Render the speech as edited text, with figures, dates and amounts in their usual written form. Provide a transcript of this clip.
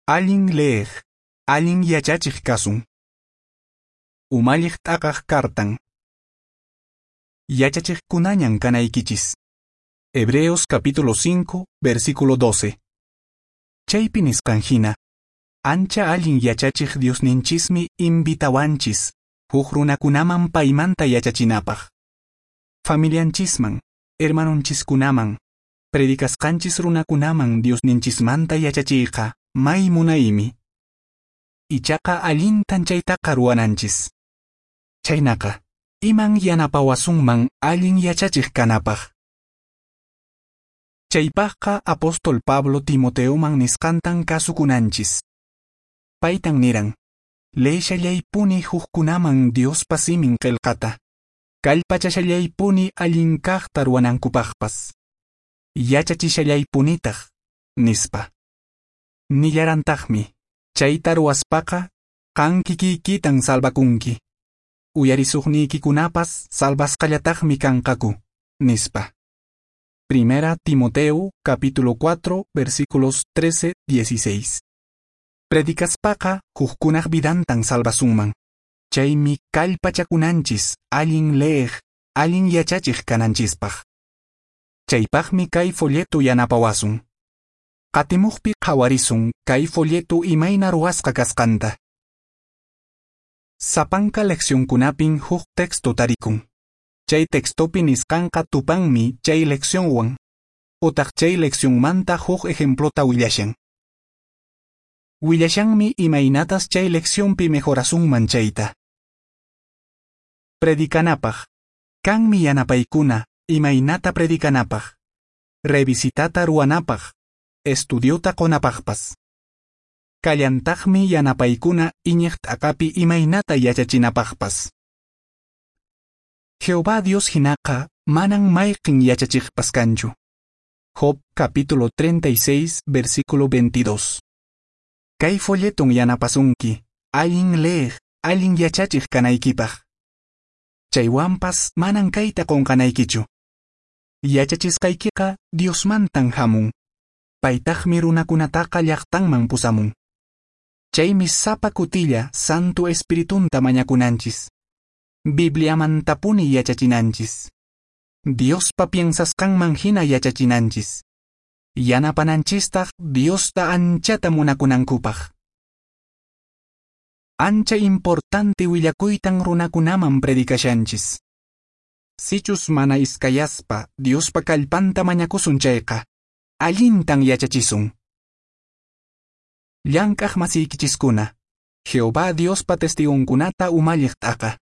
Allin leeq, allin yachachiq kasun. Umalliq t'aqaq kartan. Yachachiqkunañan kanaykichis. Hebreos capítulo 5, versículo 12. Chaypi nisqan hina, ancha allin yachachiq Diosninchismi invitawanchis, huk runakunaman paymanta yachachinapaq. Familianchisman, hermanonchiskunaman, predicasqanchis runakunaman Diosninchismanta yachachiyqa may munaymi. Ichaqa allintan chaytaqa ruwananchis. Chaynaqa, iman yanapawasunman allin yachachiq kanapaq. Chaypaqqa apóstol Pablo Timoteoman nisqantan kasukunanchis. Paytan niran, leeshallaypuni hukkunaman Diospa simin qillqata, kallpachashallaypuni allin kaqta ruwanankupaqpas, yachachishallaypunitaq, nispa. Nillarantaqmi, chayta ruwaspaqa qan kikiykitan salvakunki, uyarisuqniykikunapas salvasqallataqmi kanqaku, nispa. Primera Timoteo, capítulo 4, versículos 13, 16. Predicaspaqa hukkunaq vidantan salvasunman. Chaymi kallpachakunanchis allin leeq, allin yachachiq kananchispaq. Chaypaqmi kay folleto yanapawasun. Qatimuqpi qhawarisun kay folleto imayna ruwasqa kasqanta. Sapanka leccionkunapin huk texto tarikun. Chay textopi nisqanqa tupanmi chay leccionwan, utaq chay leccionmanta huk ejemplota willashan. Willashanmi imaynatas chay leccionpi mejorasunman chayta. Predicanapaq. Kanmi yanapaykuna imaynata predicanapaq. Revisitata ruwanapaq. Estudiota qonapaqpas. Kallantaqmi yanapaykuna iñiq t'aqapi imaynata yachachinapaqpas. Jehová Dios hinaqa manan mayqin yachachiqpas kanchu. Job capítulo 36, versículo 22. Kay folleton yanapasunki, allin leeq, allin yachachiq kanaykipaq. Chaywanpas manan kayta qunqanaykichu. Yachachisqaykiqa Diosmantan hamun. Paytaqmi runakunataqa llaqtanman pusamun. Chaymi sapa kutilla Santo Espiritunta mañakunanchis. Bibliamantapuni yachachinanchis. Diospa piensasqanman hina yachachinanchis. Yanapananchistaq Diosta anchata munakunankupaq. Ancha importante willakuytan runakunaman predicashanchis. Sichus mana iskayaspa Diospa kallpanta mañakusun chayqa, allintan yachachisun. Llank'aq masiykichiskuna, Jehová Diospa testigonkunata umalliq t'aqa.